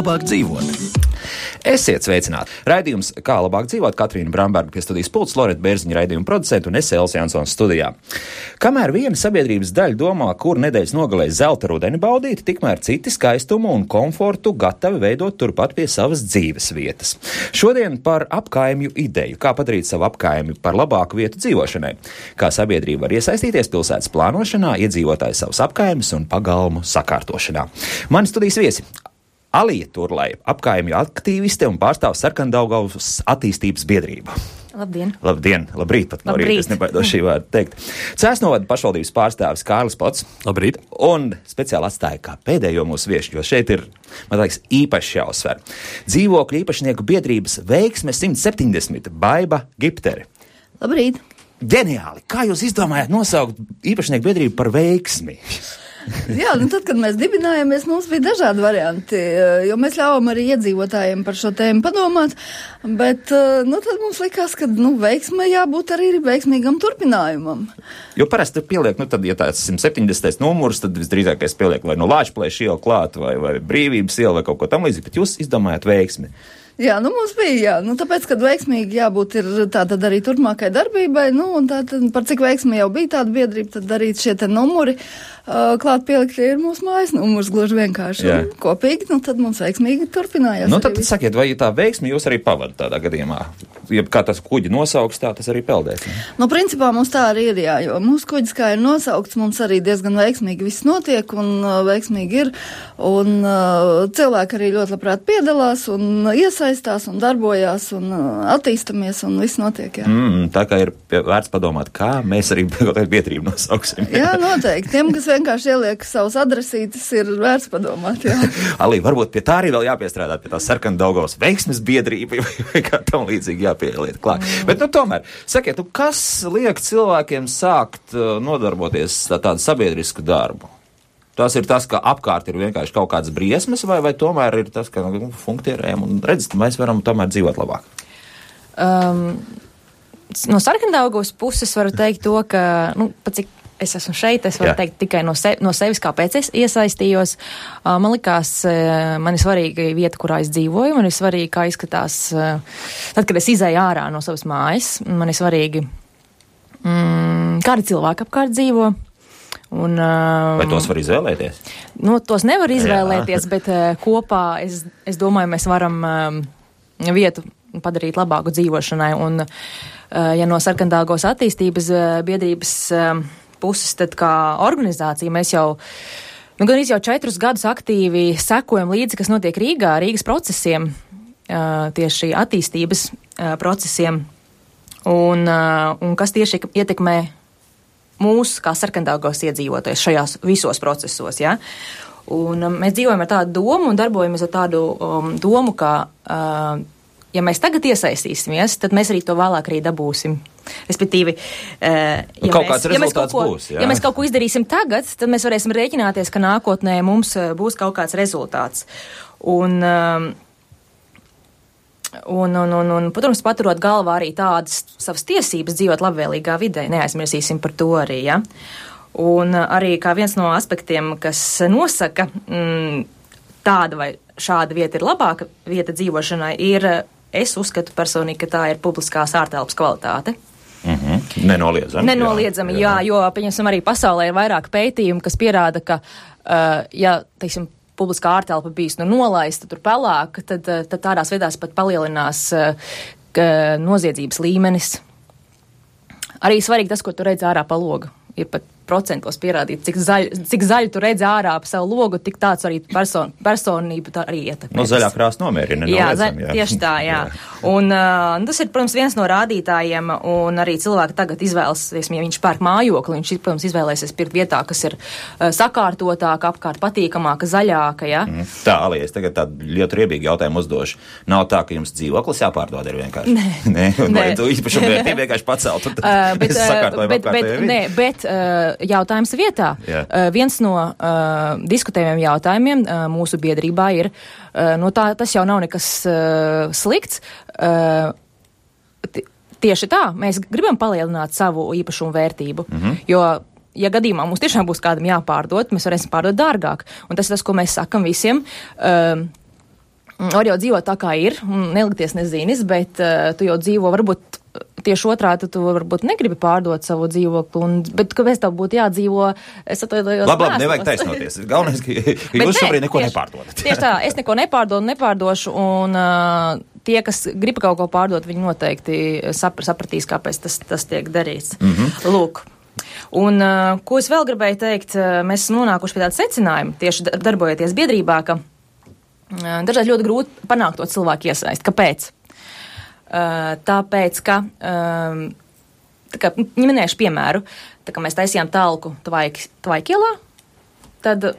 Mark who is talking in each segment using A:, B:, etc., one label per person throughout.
A: labāk dzīvot? Esiet sveicināti! Raidījums Kā labāk dzīvot, Katrīna Bramberga pie studijas pults, Loreta Bērziņa raidījuma producenta un es Elsa Jansons studijā. Kamēr viena sabiedrības daļa domā, kur nedēļas nogalē zelta rudeni baudīt, tikmēr citi skaistumu un komfortu gatavi veidot turpat pie savas dzīves vietas. Šodien par apkaimju ideju, kā padarīt savu apkaimju par labāku vietu dzīvošanai, kā sabiedrība var iesaistīties pilsētas plānošanā, iedzīvotāju savus apkaimes un pagalmu sakārtošanā. Mani studijas viesi Alija Turlai, apkaimju aktīviste un pārstāv Sarkandaugavas attīstības biedrību.
B: Labdien!
A: Labdien! Labrīt! Pat no rīta, es nebaidos šī vārda teikt. Cēsnovada pašvaldības pārstāvis Kārlis Pots.
C: Labrīt!
A: Un speciāli atstāja kā pēdējo mūsu viešu, jo šeit ir, man liekas, īpaši jāuzsver. Dzīvokļu īpašnieku biedrības Veiksme 170 Baiba Gipteri.
B: Labrīt!
A: Ģeniāli! Kā jūs izdomājāt nosaukt īpašnieku biedrību par Veiksmi?
D: Jā, tad, kad mēs dibinājāmies, mums bija dažādi varianti, jo mēs ļāvām arī iedzīvotājiem par šo tēmu padomāt, bet, tad mums likās, ka, veiksmē jābūt arī veiksmīgam turpinājumam.
A: Jo parasti pieliek, tad, ja tāds 170. numurs, tad visdrīzākais pieliek vai no Lāčplēša iela klāt, vai Brīvības iela, vai kaut ko tam līdzīgi, bet jūs izdomājat Veiksmi.
D: Jā, mums bija, tāpēc, kad veiksmīgi jābūt ir tātad arī turpmākai darbībai, un tātad par cik veiksmi jau bija tāda biedrība, tad arī šie te numuri klāt pielikti ir mūsu mājas numurs, gluži vienkārši.
A: Jā.
D: Kopīgi, tad mums veiksmīgi turpinājās.
A: Tad sakiet, vai tā veiksmi jūs arī pavadat tādā gadījumā? Ja kā tas kuģi nosauks, tā tas arī peldēs.
D: Principā mums tā arī ir, jo mūsu kuģis kā ir nosaukts, mums arī diezgan veiksmīgi viss notiek un veiksmīgi ir, un cilvēki arī ļoti labprāt piedalās un iesaistās un darbojās un attīstamies un viss notiek, jā.
A: Tā kā ir vērts padomāt, kā mēs arī biedrību nosauksim.
D: Jā, noteikti. Tiem, kas vienkārši ieliek savus adresītes, ir vērts padomāt, jā.
A: Alī, varbūt pie tā arī vēl jāpiestrādā, pie tā Sarkandaugavas Veiksmes biedrība vai kā tam līdzīgi jāpieliet klāt. Bet, tomēr, sakiet, kas liek cilvēkiem sākt nodarboties tādu sabiedrisku darbu? Tas ir tas, ka apkārt ir vienkārši kaut kādas briesmas, vai tomēr ir tas, ka funkcionējam un redzat, mēs varam tomēr dzīvot labāk?
B: No Sarkandaugavas puses varu teikt to, ka, pat cik es esmu šeit, es varu teikt tikai no sevis, kāpēc es iesaistījos. Man likās, man ir svarīga vieta, kurā es dzīvoju, man ir svarīgi, kā izskatās, tad, kad es izēju ārā no savas mājas, man ir svarīgi, kādi cilvēki apkārt dzīvo.
A: Vai tos var izvēlēties?
B: Tos nevar izvēlēties, bet kopā, es domāju, mēs varam vietu padarīt labāku dzīvošanai. Un, ja no Sarkandaugavas attīstības biedrības puses, tad kā organizācija mēs jau, gan jau 4 gadus aktīvi sekojam līdzi, kas notiek Rīgā, Rīgas procesiem, tieši attīstības procesiem, un kas tieši ietekmē mūs kā Sarkandaugavas iedzīvotājus šajās visos procesos, ja? Un mēs dzīvojam ar tādu domu un darbojamies ar tādu domu, ka ja mēs tagad iesaistīsimies, tad mēs arī to vēlāk arī dabūsim. Respektīvi, ja mēs kaut ko izdarīsim tagad, tad mēs varēsim rēķināties, ka nākotnē mums būs kaut kāds rezultāts. Un protams, paturot galvā arī tādas savas tiesības dzīvot labvēlīgā vidē, neaizmirsīsim par to arī, ja. Un arī kā viens no aspektiem, kas nosaka, tāda vai šāda vieta ir labāka vieta dzīvošanai, ir, es uzskatu personīgi, ka tā ir publiskās ārtelpas kvalitāte. Nenoliedzami, jā, jo, pieņemsim, arī pasaulē ir vairāk pētījumu, kas pierāda, ka, teiksim, publiskā ārtelpa bijis nolaista tur pelēka, tad tādās vietās pat palielinās noziedzības līmenis. Arī svarīgi tas, ko tu redzi ārā pa logu. Ir pat procentos pierādīt, cik zaļu tu redzi ārā pa savu logu, tik tāds arī personību tā arī ietekmē.
A: Zaļā krāsa nomierina.
B: Jā, tieši tā, jā. Un tas ir, protams, viens no rādītājiem, un arī cilvēki tagad izvēlas, ja viņš pērk mājokli, viņš, protams, izvēlēsies pirkt vietā, kas ir sakārtotāka, apkārt patīkamāka, zaļāka, ja.
A: Tā, Alija, es tagad tādu ļoti riebīgu jautājumu uzdošu. Nav tā, ka jums dzīvoklis jāpārdod ir vienkārši? Nē. Vai tu īpašumu vērtību vienkārši pacelt?
B: Bet jautājums vietā. Viens no diskutējumiem jautājumiem mūsu biedrībā ir, tas jau nav nekas slikts. Tieši tā, mēs gribam palielināt savu īpašumu vērtību, jo, ja gadījumā mums tiešām būs kādam jāpārdot, mēs varēsim pārdot dārgāk. Un tas ir tas, ko mēs sakam visiem. var jau dzīvot tā, kā ir, un nelikties nezinis, bet tu jau dzīvo varbūt tieši otrādi, tu varbūt negribi pārdot savu dzīvokli, bet kāpēc tev būtu jādzīvo, es atvainojos.
A: Labi, nevajag taisnoties. Galvenais, ka jūs šobrīd neko nepārdodat.
B: Tieši tā, es neko nepārdošu, un tie, kas grib kaut ko pārdot, viņi noteikti sapratīs, kāpēc tas tiek darīts. Lūk. Un, ko es vēl gribēju teikt, mēs esam nonākuši pie tāda secinājuma, tieši darbojoties biedrībā, ka dažreiz ļoti grūti panākt to cilvēku iesaist. Kāpēc? Tāpēc, ka, minēšu piemēru, tā kā mēs taisījām talku Tvaikielā, tad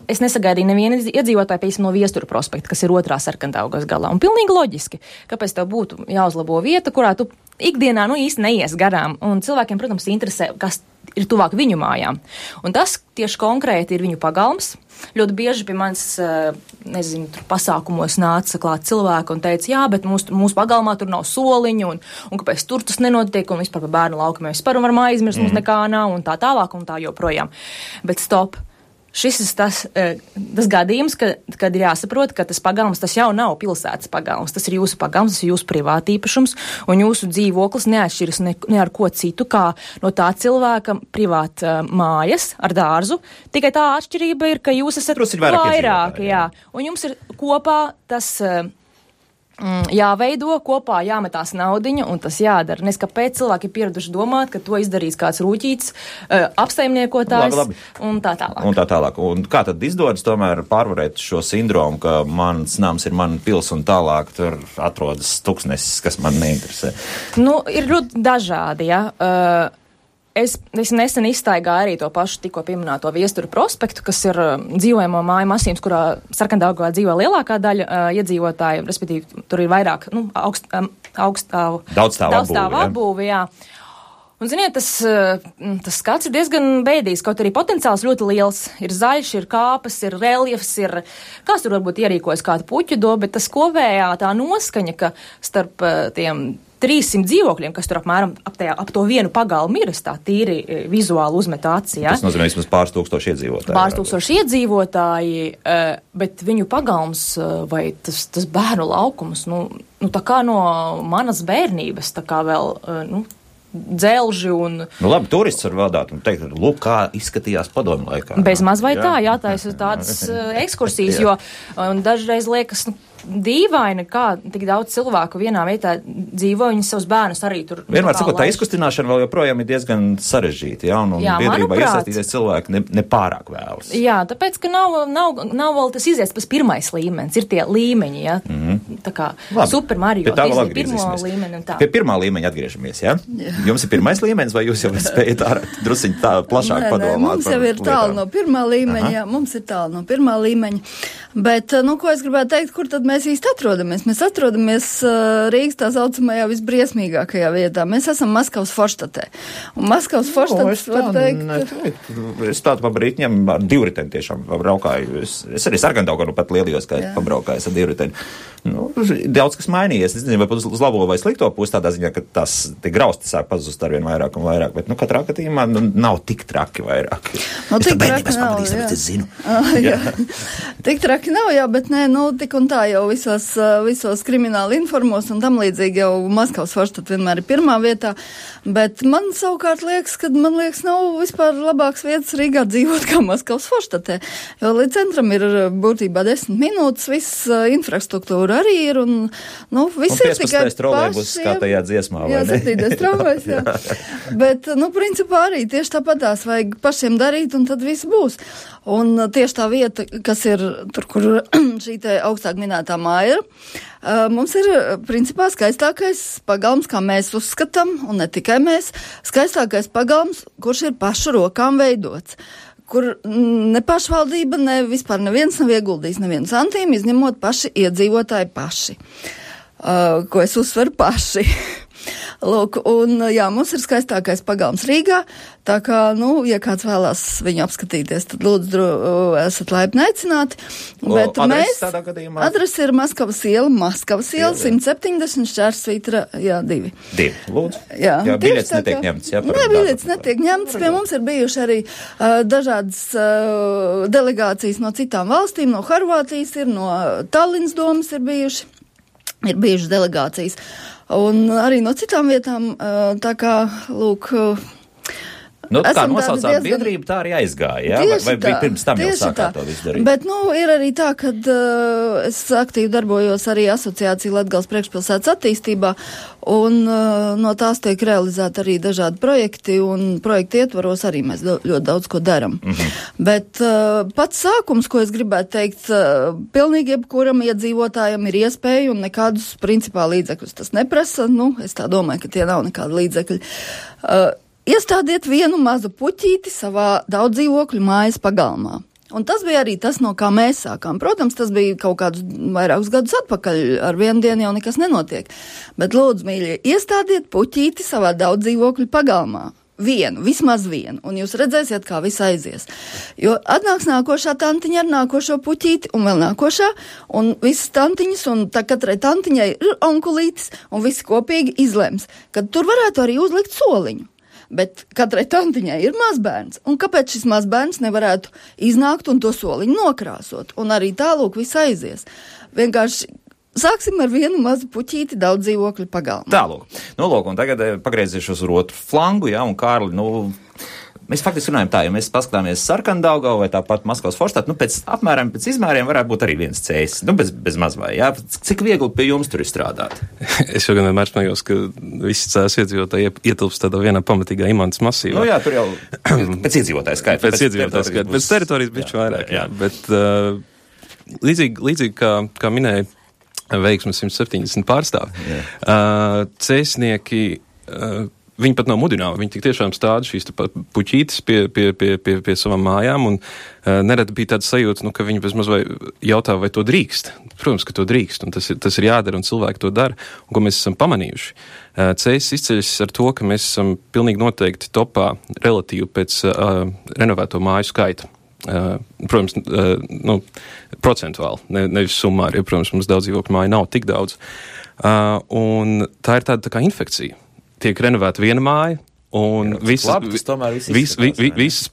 B: es nesagaidīju nevienu iedzīvotāju, piemēram, no Viesturu prospekta, kas ir otrā Sarkandaugavas galā. Un pilnīgi loģiski, kāpēc tev būtu jāuzlabo vieta, kurā tu ikdienā īsti neies garām. Un cilvēkiem, protams, interesē, kas ir tuvāk viņu mājām. Un tas tieši konkrēti ir viņu pagalms. Ļoti bieži pie manis, pasākumos nāca klāt cilvēki un teica, jā, bet mūsu pagalmā tur nav soliņu, un kāpēc tur tas nenotiek, un vispār par bērnu laukumiem vispār varam aizmirst, mums nekā nav, un tā tālāk, un tā joprojām. Bet stop! Šis ir tas gadījums, kad ir jāsaprot, ka tas pagalms, tas jau nav pilsētas pagalms, tas ir jūsu pagalms, tas ir jūsu privātīpašums, un jūsu dzīvoklis neatšķiras ne ar ko citu, kā no tā cilvēka privāta mājas ar dārzu. Tikai tā atšķirība ir, ka jūs esat vairāk, jā. Un jums ir kopā tas jāveido, kopā jāmetās naudiņa, un tas jādara. Nes kāpēc cilvēki ir pieraduši domāt, ka to izdarīs kāds rūķīts, apsaimniekotājs
A: labi.
B: Un tā tālāk.
A: Un tā tālāk. Un kā tad izdodas tomēr pārvarēt šo sindromu, ka mans nams ir mana pils un tālāk tur atrodas tuksnesis, kas man neinteresē?
B: Ir ļoti dažādi, ja. Es nesen izstaigāju arī to pašu tikko pieminēto Viesturu prospektu, kas ir dzīvojamo māju masīvs, kurā Sarkandaugavā dzīvo lielākā daļa iedzīvotāju, respektīvi tur ir vairāk daudzstāvu apbūvi, jā. Un, ziniet, tas skats ir diezgan bēdīgs, kaut arī potenciāls ļoti liels. Ir zaļš, ir kāpas, ir reljefs, kāds tur varbūt ierīkojas kādu puķu do, bet tas kopējā tā noskaņa, ka starp tiem 300 dzīvokļiem, kas tur apmēram ap to vienu pagalmu ir, tā tīri vizuāli uzmet acī. Ja?
A: Tas nozīmē vismaz pāris tūkstoši iedzīvotāji.
B: Pāris tūkstoši iedzīvotāji, bet viņu pagalms vai tas bērnu laukums, tā kā no manas bērnības, tā kā vēl, dzelži un...
A: Labi, turists var vadāt un teikt, lūk, kā izskatījās padomju laikā.
B: Bez maz vai tā, jātaisa tādas ekskursijas, jo dažreiz liekas, dīvaini, kā tik daudz cilvēku vienā vietā dzīvo, viņi savus bērnus arī tur...
A: Vienmēr sakot, tā izkustināšana vēl joprojām ir diezgan sarežģīta, ja, un biedrībā iesaistīties cilvēki nepārāk vēlas.
B: Jā, tāpēc, ka nav vēl tas izies pēc pirmais līmenis, ir tie līmeņi, ja, tā kā Super Mario, pirmo līmeni un tā.
A: Pie pirmā līmeņa atgriežamies, ja? Jums ir pirmais līmenis, vai jūs jau spējat drusiņ tā plašāk padomāt?
D: Mums jau ir tālu no pirmā līmeņa, jā, mums ir tālu no pirmā līmeņa, bet, ko es gribētu teikt, kur tad mēs īsti atrodamies? Mēs atrodamies Rīgas tā saucamajā visbriesmīgākajā vietā. Mēs esam Maskavas Forštatē. Un Maskavas Forštats var teikt...
A: Es tādu pabrītņiem ar divriteni tiešām braukāju. Es arī Sarkandaugavā pat lielījos, kā pabraukājos ar divriteni. Daudz kas mainījies. Es nezinu, vai uz labo vai slikto pusi tādā ziņā, ka tas grausti sāk pazust arvien vairāk un vairāk. Bet, katrā gadījumā nav tik traki vairāk.
D: Tik traki nav,
A: jā. Es zinu.
D: Jā. Tik traki nav, jā, bet nē, tik un tā jau visos krimināla informos un tam līdzīgi jau Maskavas Forštat vienmēr ir pirmā vietā, bet man savukārt liekas, nav vispār labāks vietas Rīgā dzīvot kā Maskavas Forštatē, jo līdz centram ir būtībā 10 minūtes, viss infrastruktūra arī ir un, viss ir tikai
A: trolejbus, kā tajā dziesmā, vai ne?
D: Jā, 7. trolejbus, jā. Bet, principā arī tieši tāpatās vajag pašiem darīt un tad viss būs. Un tieši tā vieta, kas ir tur, kur šī te augstāk minētā māja ir, mums ir principā skaistākais pagalms, kā mēs uzskatām, un ne tikai mēs, skaistākais pagalms, kurš ir pašu rokām veidots, kur ne pašvaldība, ne vispār neviens nav ieguldījis nevienu santīmu, izņemot paši iedzīvotāji paši, ko es uzsveru paši. Lūk, un jā, mums ir skaistākais pagalms Rīgā, tā kā, ja kāds vēlās viņu apskatīties, tad lūdzu esat laipni aicināti. Bet mēs, adrese ir Maskavas iela, 170 šķērsvītra, 2.
A: 2, lūdzu.
D: Jā,
A: biļets netiek ņemts.
D: Nē, biļets netiek ņemts. Pie mums ir bijuši arī dažādas delegācijas no citām valstīm, no Horvātijas ir, no Tallinas domas ir bijušas delegācijas. Un arī no citām vietām, tā kā, lūk,
A: kā nosaucāt biedrību, tā arī aizgāja, jā? Vai bija pirms tam jau sākāt to visu darīt?
D: Bet, ir arī tā, kad es aktīvi darbojos arī asociācija Latgales priekšpilsētas attīstībā, un no tās tiek realizēti arī dažādi projekti, un projekti ietvaros arī mēs ļoti daudz ko daram. Bet pats sākums, ko es gribētu teikt, pilnīgi jebkuram iedzīvotājam ir iespēja un nekādus principā līdzekļus tas neprasa. Es tā domāju, ka tie nav nekādi līdzekļi. Iestādiet vienu mazu puķīti savā daudzdzīvokļu mājas pagalmā. Un tas bija arī tas, no kā mēs sākām. Protams, tas bija kaut kādus vairākus gadus atpakaļ, ar vienu dienu jau nekas nenotiek. Bet lūdzu, mīļie, iestādiet puķīti savā daudzdzīvokļu pagalmā. Vismaz vienu, un jūs redzēsiet, kā viss aizies. Jo atnāks nākošā tantiņa ar nākošo puķīti, un vēl nākošā, un visas tantiņas, un tā katrai tantiņai ir onkulītis, un visi kopīgi izlems, ka tur varētu arī uzlikt soliņu. Bet katrai tantiņai ir mazbērns, un kāpēc šis mazbērns nevarētu iznākt un to soliņu nokrāsot, un arī tālūk viss aizies. Vienkārši sāksim ar vienu mazu puķīti daudz dzīvokļu pagalmā.
A: Tālūk. Lūk, un tagad pagriezīšos uz otru flangu, un Kārli, mēs faktiski runājam tā, ja mēs paskatāmies Sarkandaugavu vai tāpat Maskavas Forštātu, pēc izmēriem varētu būt arī viens cēsis, bez mazvai, jā? Cik viegli pie jums tur ir strādāt?
C: Es jau gan vienmēr smējos, ka visi cēsis iedzīvotāji ietilpst tādā vienā pamatīgā imantas masīvā.
A: Jā, tur jau pēc iedzīvotāju skaita.
C: Pēc teritorijas bišķi vairāk, jā. Bet līdzīgi kā minēja veiksmes 170 pārstāvi, cēsnieki viņi pat nav mudināti, viņi tik tiešām stāda šīs puķītes pie savām mājām, un nereti bija tāds sajūta, ka viņi bezmaz vai jautā, vai to drīkst. Protams, ka to drīkst, un tas ir jādara, un cilvēki to dara, un ko mēs esam pamanījuši. Cēsis izceļas ar to, ka mēs esam pilnīgi noteikti topā relatīvi pēc renovēto māju skaita. Protams, procentuāli, nevis summāri, jo, protams, mums daudz dzīvokļu māju nav tik daudz. Un tā ir tāda kā infekcija. Tiek renovēta viena māja, un visas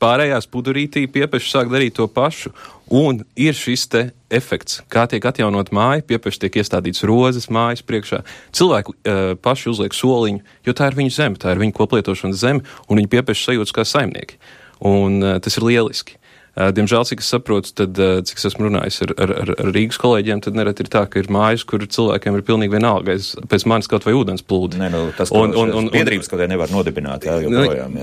C: pārējās pudurītī piepeši sāk darīt to pašu. Un ir šis te efekts, kā tiek atjaunot māja, piepeši tiek iestādīts rozes mājas priekšā. Cilvēki paši uzliek soliņu, jo tā ir viņu zeme, tā ir viņu koplietošanas zeme, un viņi piepeši sajūtas kā saimnieki. Un tas ir lieliski. Diemžēl, cik es saprotu, tad, cik es esmu runājis ar Rīgas kolēģiem, tad nereti ir tā, ka ir mājas, kur cilvēkiem ir pilnīgi vienalga, pēc manis kaut vai ūdens plūdi.
A: Tas, un biedrības kaut vai nevar nodibināt, joprojām.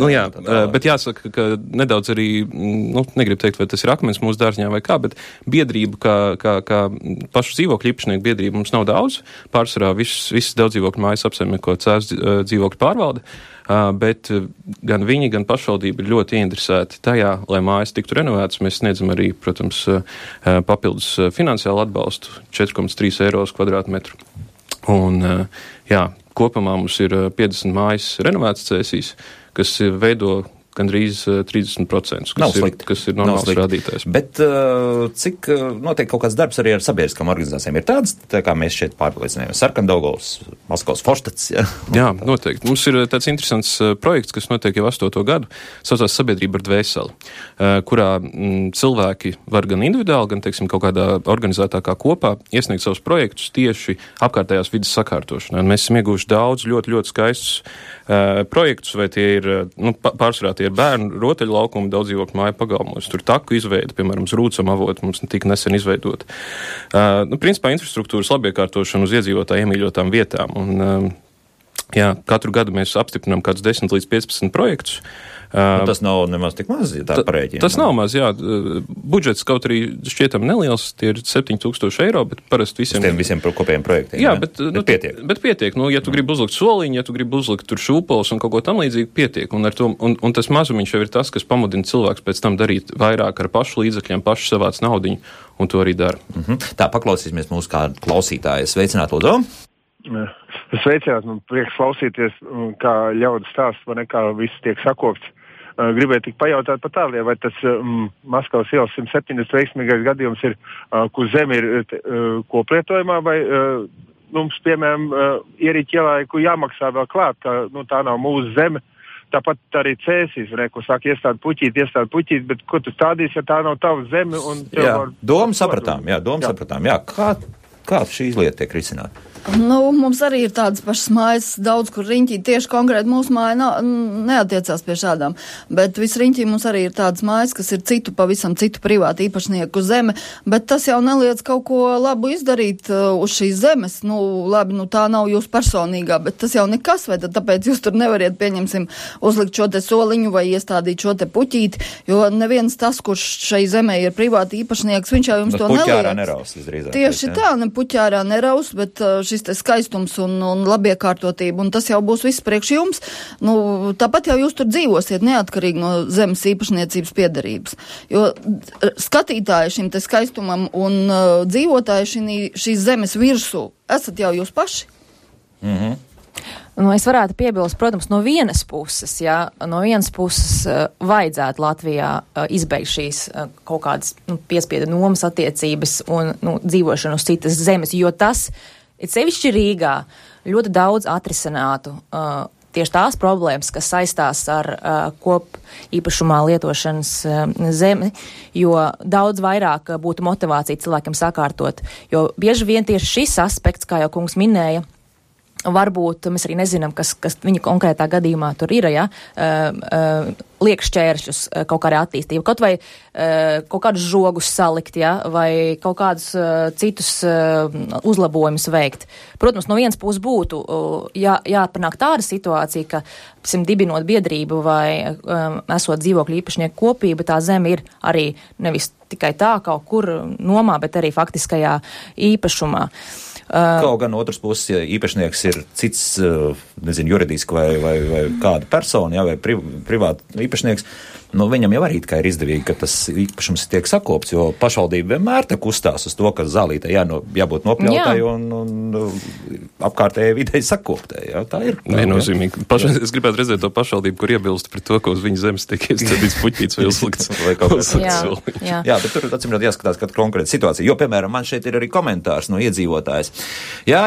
C: Bet jāsaka, ka nedaudz arī, negribu teikt, vai tas ir akmens mūsu dārzņā vai kā, bet biedrību, kā pašu dzīvokļu īpašnieku biedrību mums nav daudz. Pārsvarā visas daudz dzīvokļu mājas apsaimnieko Cēs dzīvokļu pārvalde. Bet gan viņi, gan pašvaldība ir ļoti ieinteresēti tajā, lai mājas tiktu renovētas. Mēs sniedzam arī, protams, papildus finansiālu atbalstu 4,3 € kvadrātmetru. Un, kopumā mums ir 50 mājas renovētas Cēsīs, kas veido gandrīz 30%, kas ir normāls rādītājs.
A: Bet cik notiek kaut kāds darbs arī ar sabiedriskām organizācijām? Ir tāds, tā kā mēs šeit pārliecinājām, Sarkandaugavas, Maskavas Forštāts?
C: Jā, noteikti. Mums ir tāds interesants projekts, kas notiek jau 8. gadu, saucās Sabiedrība ar dvēseli, kurā cilvēki var gan individuāli, gan, teiksim, kaut kādā organizētākā kopā iesniegt savus projektus tieši apkārtējās vidas sakārtošanai. Un mēs esam ieguvuši daudz ļoti, ļoti skaistus projektus, vai tie ir, pārsvarā tie ir bērnu rotaļlaukumi daudz dzīvokļu māju pagalmos. Tur taku izveida, piemēram, Rūcam avotu mums tika nesen izveidot. Principā infrastruktūras labiekārtošana uz iedzīvotāju iemīļotām vietām. Un, katru gadu mēs apstiprinām kādus 10 līdz 15 projektus.
A: Tas nav nemaz tik maz, ja tā parēķina.
C: Tas nav maz, jā. Budžets kaut arī šķietam neliels, tie ir 7,000 €, bet parasti
A: visiem kopējiem projektiem.
C: Jā, bet pietiek. Bet pietiek. Ja tu gribi uzlikt soliņu, ja tu gribi uzlikt tur šūpols un kaut ko tam līdzīgi, pietiek. Un tas mazumiņš jau ir tas, kas pamudina cilvēks pēc tam darīt vairāk ar pašu līdzekļiem, pašu savāc naudiņu, un to arī dara.
A: Tā, paklausīsimies mūsu kādu klausītāju. Sveicināt, lūdzu!
E: Sveicināt, man prieks klausīties, kā ļaudis stāsts, vai ne, kā viss tiek sakopts. Gribēju tik pajautāt par tāliem, vai tas Maskavas ielas 170 veiksmīgais gadījums ir, kur zeme ir koplietojumā, vai mums, piemēram, ierīķi ielaiku jāmaksā vēl klāt, ka tā nav mūsu zeme. Tāpat arī Cēsīs, ko saka iestādi puķīt, bet ko tu stādīs, ja tā nav tava zeme?
A: Domu sapratām. Kā šīs lietas tiek risināta?
D: Mums arī ir tādas pašas mājas, daudz, kur riņķī tieši konkrēti mūsu māja neatiecās pie šādām, bet viss riņķī mums arī ir tādas mājas, kas ir pavisam citu privātu īpašnieku zeme, bet tas jau neliedz kaut ko labu izdarīt uz šīs zemes. Labi, tā nav jūs personīgā, bet tas jau nekas, vai tad tāpēc jūs tur nevariet, pieņemsim, uzlikt šo te soliņu vai iestādīt šo te puķīti, jo neviens tas, kurš šai zemē ir privāti īpašnieks, viņš jau jums to neliedz. Tieši tā, ne puķārā neraus, bet šis te skaistums un labiekārtotība, un tas jau būs viss priekš jums. Tāpat jau jūs tur dzīvosiet neatkarīgi no zemes īpašniecības piederības. Jo skatītāji šim te skaistumam un dzīvotāji šīs zemes virsū esat jau jūs paši.
B: Es varētu piebilst, protams, no vienas puses vajadzētu Latvijā izbeigt šīs kaut kādas piespiedu nomas attiecības un dzīvošanu uz citas zemes, jo tas ir sevišķi Rīgā ļoti daudz atrisinātu tieši tās problēmas, kas saistās ar kopīpašumā lietošanas zemi, jo daudz vairāk būtu motivācija cilvēkiem sakārtot, jo bieži vien tieši šis aspekts, kā jau kungs minēja, varbūt mēs arī nezinām, kas viņa konkrētā gadījumā tur ir, liek šķēršļus kaut kādā attīstība, kaut vai kaut kādus žogus salikt, vai kaut kādus citus uzlabojumus veikt. Protams, no vienas puses būtu jāpanāk tāda situācija, ka, dibinot biedrību vai esot dzīvokļu īpašnieku kopība, tā zeme ir arī nevis tikai tā kaut kur nomā, bet arī faktiskajā īpašumā.
A: Kaut gan otrs puses, ja īpašnieks ir cits, juridiski vai kāda persona, vai privāta īpašnieks, viņam jau arī ir izdevīgi, ka tas īpašums tiek sakopts, jo pašvaldība vienmēr te kustās uz to, ka zālītei jābūt nopļautai un apkārtējai videi sakoptai. Tā ir.
C: Viennozīmīgi. Es gribētu redzēt to pašvaldību, kur iebilst pret to, ka uz viņas zemes tiek iestādīts puķīts vai uzlikts.
A: Jā, bet tur atsimrāt jāskatās katra konkrēta situācija. Jo, piemēram, man šeit ir arī komentārs no iedzīvotājs. Jā,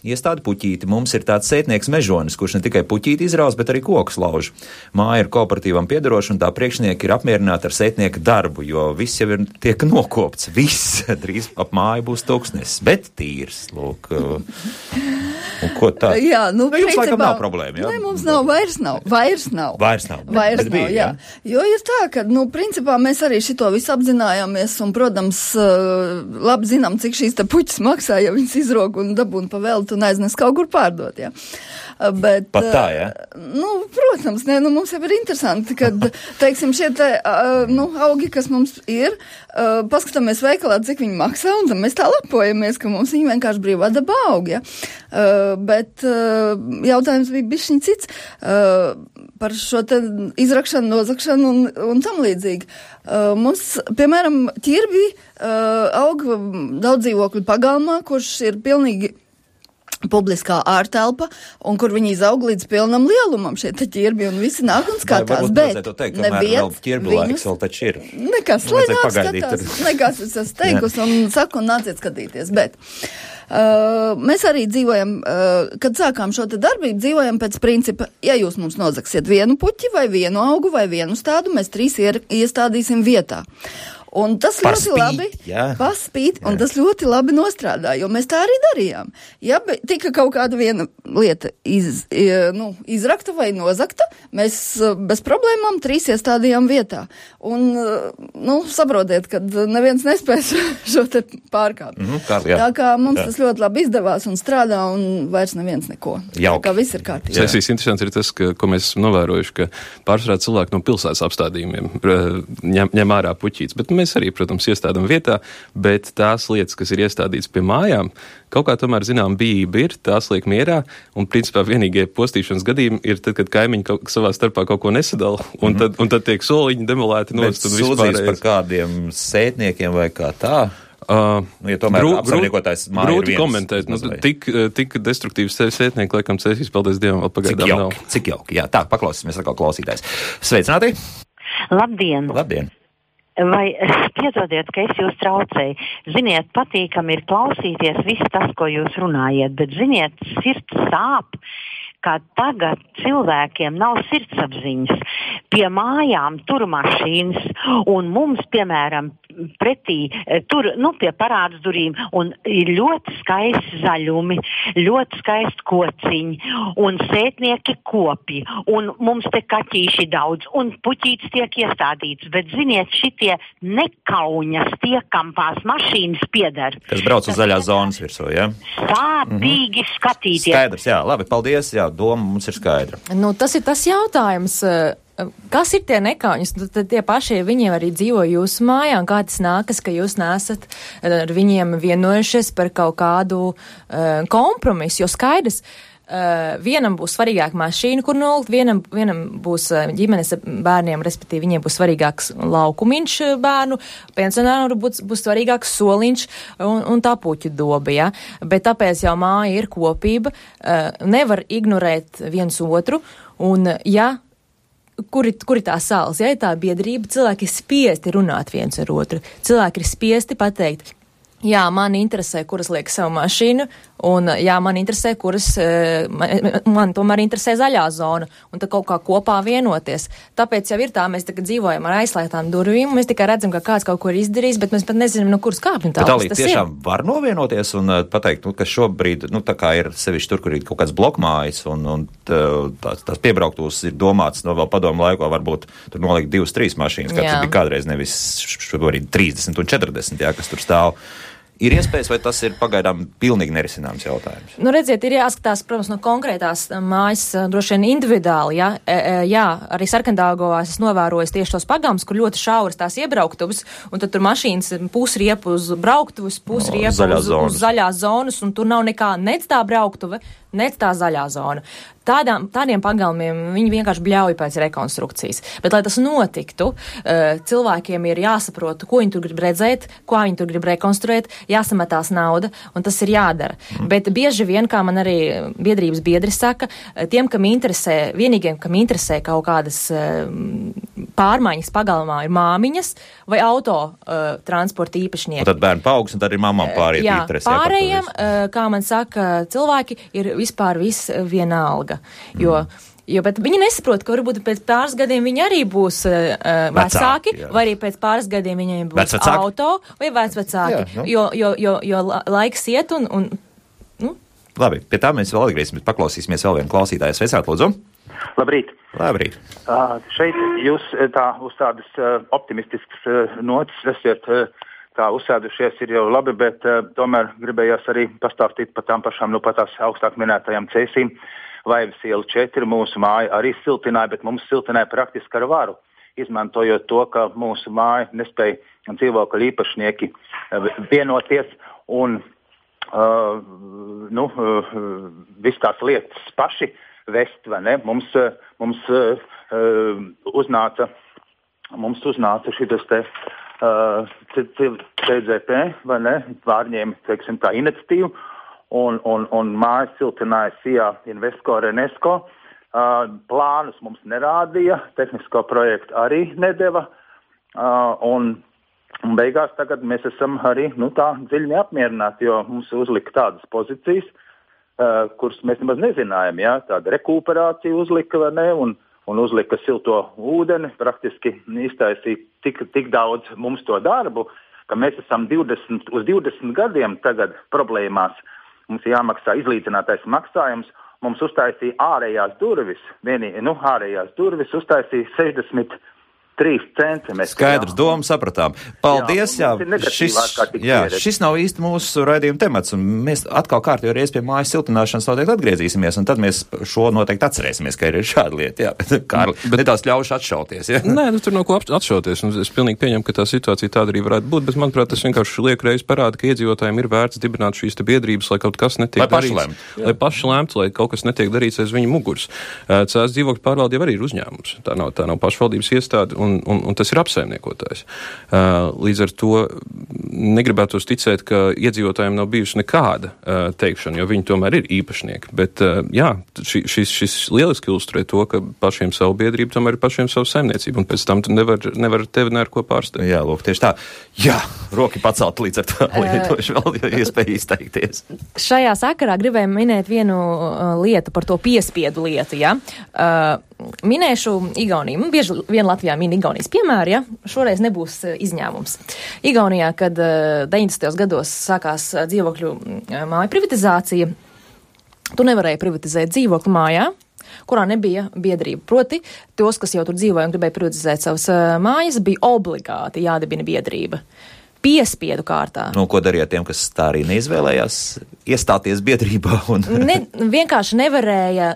A: iestādi puķīti. Mums ir tāds sētnieks Mežonis, kurš ne tikai puķīti izraus, bet arī kokus lauž. Māja ir kooperatīvam piederoša un tā priekšnieki ir apmierināti ar sētnieka darbu, jo viss jau tiek nokopts. Viss drīz ap māju būs tūkstnesis, bet tīrs. Lūk. Un ko tā?
D: Jā,
A: jums laikam nav problēma, jā?
D: Ne, mums nav, vairs nav. Jā. Jo ir tā, ka, principā mēs arī šito visu apzinājāmies un, protams, labi zinām, cik šīs te puķis maksā, ja viņas izrok un dabūna pa veltu un aiznes kaut kur pārdot, jā. Bet,
A: pat tā, jā?
D: Protams, mums jau ir interesanti, kad, teiksim, šie te, augi, kas mums ir, paskatāmies veikalā, cik viņi maksā, un tad mēs tā lepojamies, ka mums viņi vienkārši brīvā dabā aug, ja? Bet jautājums bija bišķiņ cits par šo te izrakšanu, nozakšanu un tam līdzīgi. Mums, piemēram, ķirbi aug daudz dzīvokļu pagalmā, kurš ir pilnīgi publiskā ārtelpa, un kur viņi izaug līdz pilnam lielumam šie te ķirbi, un visi nāk un skatās, bet
A: neviens vēl taču ir.
D: Nekas, lai nāk skatās, nekas es esmu teikusi un saku un nāciet skatīties, bet mēs arī dzīvojam, kad sākām šo te darbību, dzīvojam pēc principa, ja jūs mums nozagsiet vienu puķi vai vienu augu vai vienu stādu, mēs 3 iestādīsim vietā. Un tas ļoti labi paspīt, un tas ļoti labi nostrādā, jo mēs tā arī darījām. Ja tika kaut kāda viena lieta izrakta vai nozakta, mēs bez problēmām 3 iestādījām vietā. Un, saprotiet, kad neviens nespēs šo te pārkāpt. Tā kā mums tas ļoti labi izdevās un strādā, un vairs neviens neko. Tā kā viss ir kārtībā.
C: Sesijas interesants ir tas, ko mēs esam novērojuši, ka pārsvarā cilvēki no pilsētas apstādījumiem ņem ārā puķītes, bet mēs arī, protams, iestādām vietā, bet tās lietas, kas ir iestādītas pie mājām, kaut kā tomēr, zinām, bijība ir, tās liek mierā, un principā vienīgie postīšanas gadījumi ir tad, kad kaimiņi savā starpā kaut ko nesadala, un tad tiek soliņi demolēti nost.
A: Bet sūdzīs par kādiem sētniekiem vai kā tā? Ja tomēr apsaimniekotājs māja ir
C: grūti komentēt. Tik destruktīvs sētnieki, laikam, cēsīs, paldies Dievam, vēl pagaidām nav.
A: Cik jauki, jā. Tā, paklausīsimies atkal klausītājs. Sveicināti!
F: Labdien!
A: Labdien!
F: Vai piedodiet, ka es jūs traucēju? Ziniet, patīkami ir klausīties viss tas, ko jūs runājat, bet ziniet, sirds sāp, ka tagad cilvēkiem nav sirdsapziņas. Pie mājām tur mašīnas, un mums, piemēram, pretī, tur, pie parādas durīm, un ir ļoti skaisti zaļumi, ļoti skaisti kociņi, un sētnieki kopi, un mums te kaķīši daudz, un puķītis tiek iestādīts, bet, ziniet, šitie nekauņas tie, kam tās mašīnas pieder.
A: Kas brauc uz zaļās zonas virsū, jā?
F: Sāpīgi skatīties.
A: Skaidrs, jā, labi, paldies, jā, doma mums ir skaidra.
B: Tas ir tas jautājums. Kas ir tie nekauņas? Tad tie paši viņiem arī dzīvo jūsu mājā, un kā tas nākas, ka jūs nesat ar viņiem vienojušies par kaut kādu kompromisu, jo skaidrs, vienam būs svarīgāk mašīna, kur nolikt, vienam būs ģimenes bērniem, respektīvi viņiem būs svarīgāks laukumiņš bērnu, pensionāru būs svarīgāks soliņš un tā puķu doba, ja? Bet tāpēc jau māja ir kopība, nevar ignorēt viens otru, un ja Kur ir tā sāls? Ja ir tā biedrība, cilvēki ir spiesti runāt viens ar otru. Cilvēki ir spiesti pateikt, jā, man interesē, kuras liek savu mašīnu, un jā, man interesē, man tomēr interesē zaļā zona, un tad kaut kā kopā vienoties. Tāpēc jau ir tā, mēs tagad dzīvojam ar aizslēgtām durvīm, mēs tikai redzam, ka kāds kaut ko ir izdarījis, bet mēs pat nezinām, no kuras kāpņu tā.
A: Bet Alī, tiešām var novienoties un pateikt, ka šobrīd, tā kā ir sevišķi tur, kur ir kaut kāds blokmājas, un tās piebrauktūs ir domāts no vēl padomu laikā, varbūt tur nolikt 2-3 mašīnas, kā tas bija kādreiz, nevis šobrīd 30 un 40, jā, kas tur stāv. Ir iespējas, vai tas ir pagaidām pilnīgi nerisināms jautājums?
B: Redziet, ir jāskatās, protams, no konkrētās mājas, droši vien individuāli, ja? Jā, arī Sarkandāgovā es novēroju tieši tos pagams, kur ļoti šauras tās iebrauktuvas, un tad tur mašīnas pusriepu uz brauktuvas, pusriepu uz zaļās zonas, un tur nav nekā nec tā brauktuve, nec tā zaļā zona. Tādiem pagalmiem viņi vienkārši bļauj pēc rekonstrukcijas. Bet, lai tas notiktu, cilvēkiem ir jāsaprot, ko viņi tur grib redzēt, ko viņi tur grib rekonstruēt, jāsametās nauda, un tas ir jādara. Bet bieži vien, kā man arī biedrības biedri saka, tiem, vienīgiem, kam interesē kaut kādas pārmaiņas pagalmā, ir māmiņas vai auto transporta īpašnieki.
A: Un tad bērni paaugs, un tad ir mamām pāriet interesi.
B: Jā, pārējiem, kā man saka, cilvēki ir vispār viss vienalga. Bet viņi nesaprot, ka varbūt pēc pāris gadiem viņi arī būs vecāki, vai arī pēc pāris gadiem viņiem būs auto vai vecvecāki, jo laiks iet un
A: Labi, pie tā mēs vēl atgriezīsimies, paklausīsimies vēl vienu klausītāju. Sveicāt, lūdzu.
G: Labrīt.
A: Labrīt.
G: Šeit jūs uz tādas optimistiskas notis esat tā uzsēdušies, ir jau labi, bet tomēr gribējās arī pastāstīt par tām pašām, pat tās augstāk minētajām cēsīm. Vaivas iela 4 mūsu māja arī siltināja, bet mums siltināja praktiski ar varu, izmantojot to, ka mūsu māja nespēja dzīvokļu īpašnieki vienoties un viss tās lietas paši vest, vai ne? Mums uznāca šitas te CZP, vai ne? Pārņēma, teiksim, tā iniciatīvu. Un mājas siltināja SIA Invesco Renesco. Plānus mums nerādīja, tehnisko projektu arī nedeva. Un beigās tagad mēs esam arī tā dziļi neapmierināti, jo mums uzlika tādas pozīcijas, kuras mēs nemaz nezinājām. Ja? Tāda rekuperācija uzlika, vai ne? Un uzlika silto ūdeni, praktiski iztaisīja tik daudz mums to darbu, ka mēs esam 20 gadiem tagad problēmās. Mums ir jāmaksā izlīdzinātais maksājums. Mums uztaisīja ārējās durvis uztaisīja 63 centi.
A: Skaidrs, domu sapratām. Paldies, šis nav īsti mūsu raidījuma temats, un mēs atkal kārtīgi reiz pie mājas siltināšanas noteikti atgriezīsimies, un tad mēs šo noteikti atcerēsimies, ka ir šāda lieta, Kārli, nedaudz ļaušu atšauties,
C: Nē, tur nav ko atšauties, un es pilnīgi pieņemu, ka tā situācija tāda arī varētu būt, bet, manuprāt, tas vienkārši liek reiz parāda, ka iedzīvotājiem ir vērts dibināt šīs te biedrības, lai kaut kas netiek darīts. Lai paši lemtu, lai kaut kas netiek darīts aiz viņu muguras. Cēs dzīvokļu pārvalde jau arī ir uzņēmums. Tā nav pašvaldības iestāde, un un tas ir apsaimniekotājs. Līdz ar to negribētos ticēt, ka iedzīvotājiem nav bijusi nekāda teikšana, jo viņi tomēr ir īpašnieki. Bet jā, šis lieliski ilustrē to, ka pašiem savu biedrību tomēr ir pašiem savu saimniecību, un pēc tam tu nevar tevi neko pārsteigt.
A: Jā, lūk, tieši tā. Jā, roki pacelt līdz ar to lietošu vēl iespēju izteikties.
B: Šajā sakarā gribēju minēt vienu lietu par to piespiedu lietu, ja. Minēšu Igauniju. Bieži vien Latvijā min Igaunijas piemēru, ja. Šoreiz nebūs izņēmums. Igaunijā, kad 90. gados sākās dzīvokļu māju privatizācija, tu nevarēji privatizēt dzīvokļu mājā, kurā nebija biedrība. Proti, tos, kas jau tur dzīvoja un gribēja privatizēt savas mājas, bija obligāti jādibina biedrība. Piespiedu kārtā.
A: Nu, ko darīja tiem, kas tā arī neizvēlējās iestāties biedrībā?
B: Vienkārši nevarēja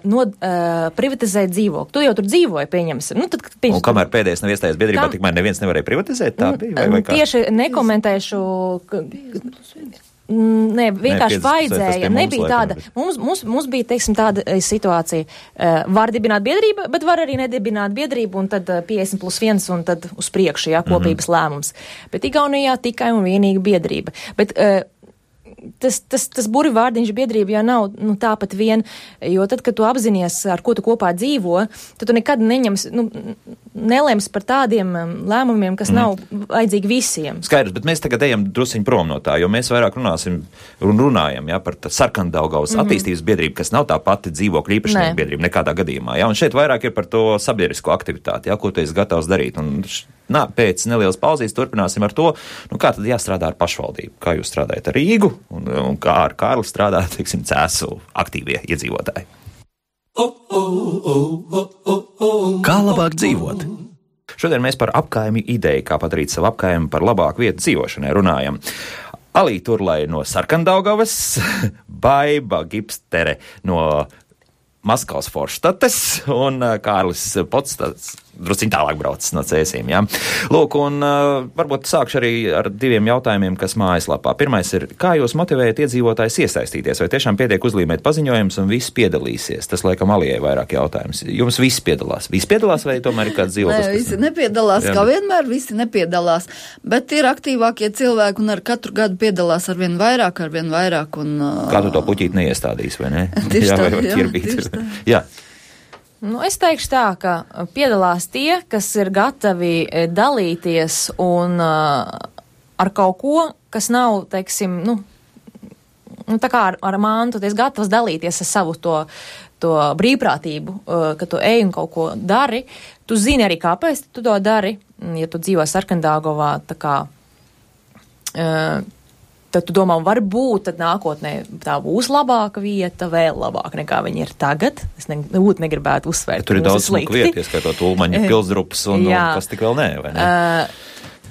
B: privatizēt dzīvokli. Tu jau tur dzīvoji, pieņemsim.
A: Un kamēr pēdējais nav iestājies biedrībā, tikmēr neviens nevarēja privatizēt? Tā bija, vai kā?
B: Tieši nekomentēšu... Nē, vienkārši vajadzēja, nebija tāda, mums bija, teiksim, tāda situācija, var dibināt biedrību, bet var arī nedibināt biedrību, un tad 50+1, un tad uz priekšu, jā, kopības lēmums. Bet Igaunijā tikai un vienīgi biedrība. Bet tas burvvārdiņš biedrība jau nav tāpat vien, jo tad, kad tu apzinies, ar ko tu kopā dzīvo, tad tu nekad nelēms par tādiem lēmumiem, kas nav vajadzīgi visiem.
A: Skaidrs, bet mēs tagad ejam drusiņ prom no tā, jo mēs vairāk runājam, jā, par Sarkandaugavas attīstības biedrību, kas nav tā pati dzīvokļu īpašnieku biedrība nekādā gadījumā, jā, un šeit vairāk ir par to sabiedrisko aktivitāti, jā, ko tu esi gatavs darīt, un pēc nelielas pauzīs turpināsim ar to, kā tad jāstrādā ar pašvaldību, kā jūs strādājat ar Rīgu, un kā ar Kārli strādā, teiksim, Cēsu aktīvie iedzīvotāji.
H: Kā labāk dzīvot?
A: Šodien mēs par apkaimi ideju, kā padarīt savu apkaimi par labāku vietu dzīvošanai, runājam. Alī Turlai no Sarkandaugavas, Baiba Gipstere no Maskavas Forštates un Kārlis Potstats drusciņ tālāk braucis no Cēsīm, jā. Lūk, un varbūt sākšu arī ar diviem jautājumiem, kas mājaslapā. Pirmais ir, kā jūs motivējat iedzīvotājus iesaistīties, vai tiešām pietiek uzlīmēt paziņojumus un viss piedalīsies? Tas, laikam, Alijai vairāk jautājums. Jums viss piedalās? Viss piedalās vai tomēr ir kāds dzīvoklis?
D: Nē, visi nepiedalās, kā vienmēr, visi nepiedalās, bet ir aktīvākie cilvēki un ar katru gadu piedalās ar vien vairāk un...
A: Kā tu to puķīt neiestādīs, vai ne?
D: Tieši tā.
A: Jā.
B: Es teikšu tā, ka piedalās tie, kas ir gatavi dalīties un ar kaut ko, kas nav, teiksim, tā kā ar mantu, tu esi gatavs dalīties ar savu to brīvprātību, ka tu ej un kaut ko dari. Tu zini arī, kāpēc tu to dari, ja tu dzīvo Sarkandaugavā, tā kā... Tad tu domā, varbūt tad nākotnē tā būs labāka vieta, vēl labāka nekā viņi ir tagad. Es negribētu uzsvērt.
A: Tur ir daudz smuku vietas, kā to Ulmaņa pilsdrupas un kas tik vēl vai ne?